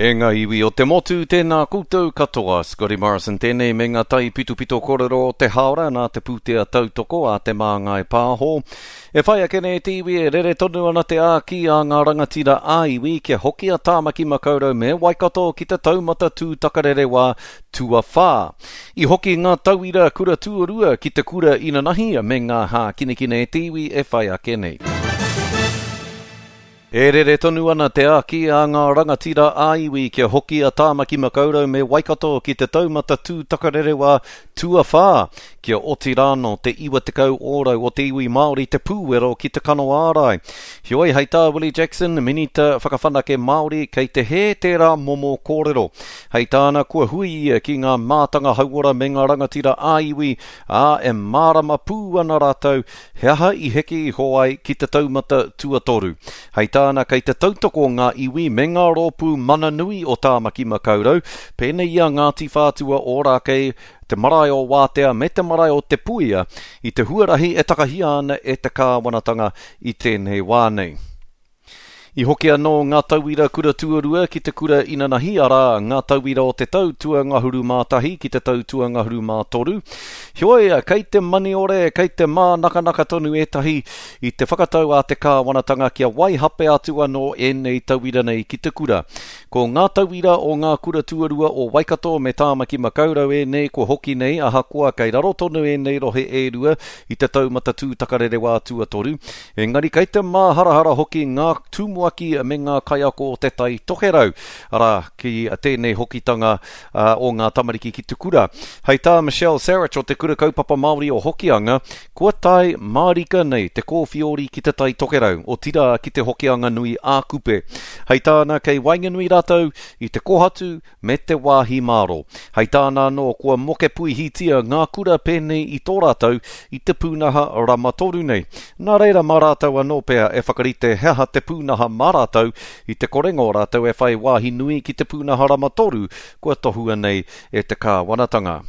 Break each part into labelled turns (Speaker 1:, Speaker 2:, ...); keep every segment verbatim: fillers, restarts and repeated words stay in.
Speaker 1: E ngā iwi o te motu, tēnā koutou katoa. Scotty Morrison tēnei me ngā tai pitopito kōrero o te haora nā te pūtea tautoko a Te Māngai Pāho. E whai ake nei te iwi e rere tonu ana te āki a ngā rangatira ā-iwi kia hoki a Tāmaki Makaurau me Waikato ki te taumata tūtakarerewā tuawhā. I hoki ngā tauira kura tuarua ki te kura inanahi me ngā hākinakina e te iwi e whai ake nei. E rere tonu ana te āki a ngā rangatira ā-iwi kia hoki a Tāmaki Makaurau me Waikato ki te taumata tūtakarerewā tuawhā, kia oti rānō te iwa tekau ōrau o te iwi Māori te pūwero ki te kano ārai. Heoi, hei tā Willie Jackson, Minita Whakawhanake Māori, kei te hē tērā momo kōrero. Hei tāna, kua hui ia ki ngā mātanga hauora me ngā rangatira ā-iwi, ā, e mārama pū ana rātou he aha i heke iho ai ki te taumata tuatoru. Hei tāna, kei te tautoko ngā iwi me ngā rōpū mana nui o Tāmaki Makaurau, pēnei i a Ngāti Whātua Ōrākei, te marae o Wātea me te marae o Te Puia, i te huarahi e takahia ana e te kāwanatanga i tēnei wā nei. I hoki anō ngā tauira kura tuarua ki te kura inanahi, arā, ngā tauira o te tau tuangahuru mā tahi ki te tau tuangahuru mā toru. Heoi, kei te maniore, kei te mānakanaka tonu ētahi i te whakatau a te kāwanatanga kia waihape atu anō ēnei tauira nei ki te kura. Ko ngā tauira o ngā kura tuarua o Waikato me Tāmaki Makaurau ēnei kua hoki nei, ahakoa kei raro tonu ēnei rohe e rua i te taumata tūtakarerewā tuatoru. Engari kei te māharahara hoki ngā tumuaki me ngā kaiako o te Tai Tokerau, arā, ki tēnei hokitanga o ngā tamariki ki te kura. Hei tā Michelle Sarich o te Kura Kaupapa Māori o Hokianga, kua tae mārika nei te kōwhiori ki te Tai Tokerau, otirā ki te Hokianga nui ā Kupe. Hei tāna, kei waenganui rātou i te kohatu me te wāhi māro. Hei tāna anō, kua moke puihitia ngā kura pēnei i tō rātou i te pūnaha rama toru nei. Nā reira mā rātou anō pea e whakarite he aha te pūnaha mā rātou i te korenga o rātou e whai wāhi nui ki te pūnaha rama toru kua tohua nei e te kāwanatanga.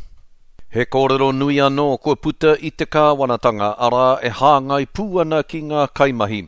Speaker 1: He kōrero nui anō kua puta i te kāwanatanga, arā e hāngai pū ana ki ngā kaimahi.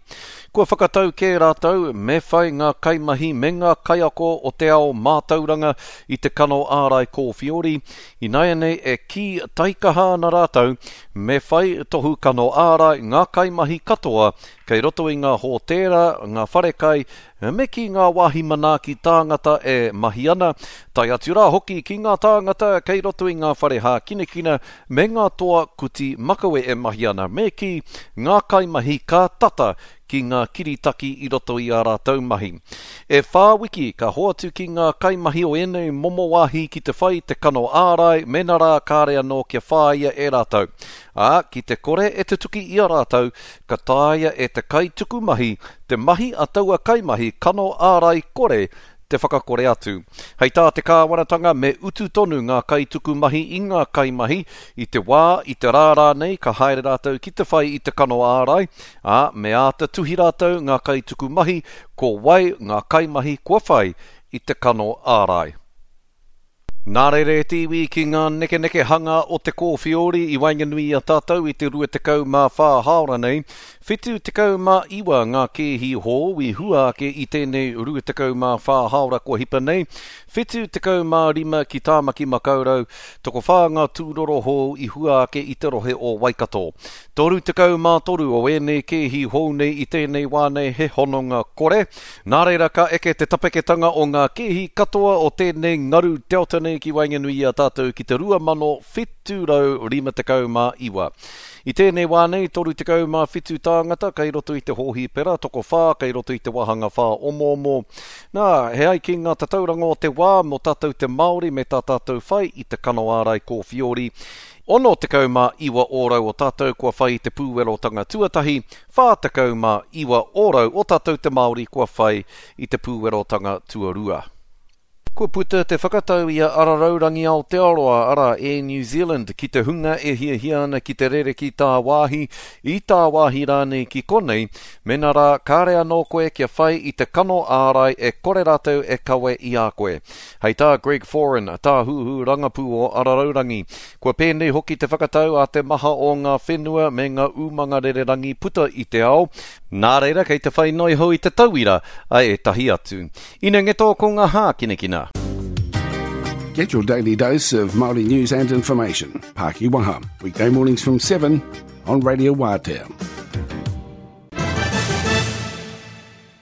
Speaker 1: Kua whakatau kē rātou me whai ngā kaimahi me ngā kaiako o te ao mātauranga i te kano ārai kōwhiori, ināianei e kī taikaha ana rātou me whai tohu kano ārai ngā kaimahi katoa kei roto i ngā hōtēra, ngā wharekai, me ki ngā wāhi manaaki tāngata e mahi ana, tae atu rā hoki ki ngā tāngata kei roto i ngā whare hākinakina me ngā toa kuti makawe e mahi ana, me ki ngā kaimahi ka tata ki ngā kiritaki i roto i ā rātou mahi. E whā wiki ka hoatu ki ngā kaimahi o ēnei momo wāhi ki te whai te kano ārai mēnā rā kāre anō kia whāia e rātou. Ā, ki te kore e tutuki i a rātou, ka taea e te kaituku mahi te mahi a taua kaimahi kano ārai kore te whakakore atu. Hei tā te kāwanatanga me utu tonu ngā kaituku mahi i ngā kaimahi i te wā, i te rā rānei ka haere rātou ki te whai i te kano ārai, ā, me āta tuhi rātou ngā kaituku mahi ko wai ngā kaimahi kua whai i te kano ārai. Nā reira e te iwi ki ngā nekenekehanga o te kōwhiori i waenganui i a tātou i te rua tekau mā whā haora nei, whitu tekau mā iwa ngā kēhi hou i hua ake i tēnei rua tekau mā whā haora kua hipa nei, whitu tekau mā rima ki Tāmaki Makaurau, tokowhā ngā tūroro hou i hua ake i te rohe o Waikato. Toru tekau mā toru o ēnei kēhi hou nei i tēnei wā nei he hononga kore. Nā reira ka eke te tapeketanga o ngā kēhi katoa o tēnei ngaru Delta nei ki waenganui i a tātou ki te rua mano whitu rau rima tekau mā iwa. I tēnei wā nei, toru tekau mā whitu tāngata kei roto i te hōhipera, tokowhā kei roto i te wāhanga whā omoomo. Nā, he ai ki ngā tatauranga o te wā mō tātou te Māori me tā tātou whai i te kano ārai kōwhiori. Ono tekau mā iwa ōrau o tātou kua whai i te pūwerotanga tuatahi, whā tekau mā iwa ōrau o tātou te Māori kua whai i te pūwerotanga tuarua. Kua puta te whakatau i a Araraurangi Aotearoa, arā Air New Zealand, ki te hunga e hiahia ana ki te rere ki tāwāhi, i tāwāhi rānei ki konei, mēnā rā kāre anō koe kia whai i te kano ārai e kore rātou e kawe i a koe. Hei tā Greg Foran, tāhuhu rangapū o Araraurangi, kua pēnei hoki te whakatau a te maha o ngā whenua me ngā umanga rererangi puta i te ao. Nā reira kei te whai noi hou i te tauira a ētahi atu. Ina ngeto ko ngā hākinakina.
Speaker 2: Get your daily dose of Māori news and information. Pākiwaha, weekday mornings from seven on Radio Wātea.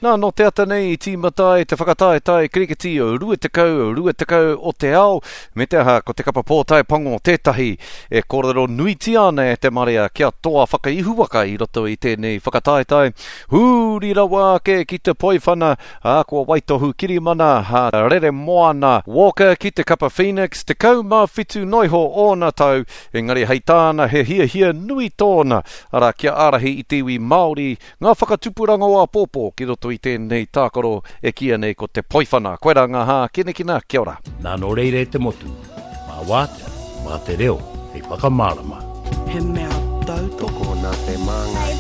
Speaker 1: Nā, nō te ata nei i tīmata ai te whakataetae kirikiti o rua tekau, rua tekau o te ao, me te aha ko te kapa pōtae pango tētahi e kōrero nuitia ana e te marea kia toa whakaihuwaka i roto i tēnei whakataetae. Huri rawa ake ki te poiwhana, ā, kua waitohu kirimana, ā, rere moana Walker ki te kapa Phoenix, tekau mā whitu noiho ōna tau, engari hei tāna he hiahia nui tōna, arā kia ārahi i te iwi Māori, ngā whakatupuranga o āpōpō ki roto i tēnei tākaro e kīia nei ko te poiwhana. Koirā ngā hākinakina, kia ora.
Speaker 3: Nā nō reira e te motu, mā wātea, mā te reo, hei whakamārama.
Speaker 4: He mea tautoko.
Speaker 5: Tokona te māngai.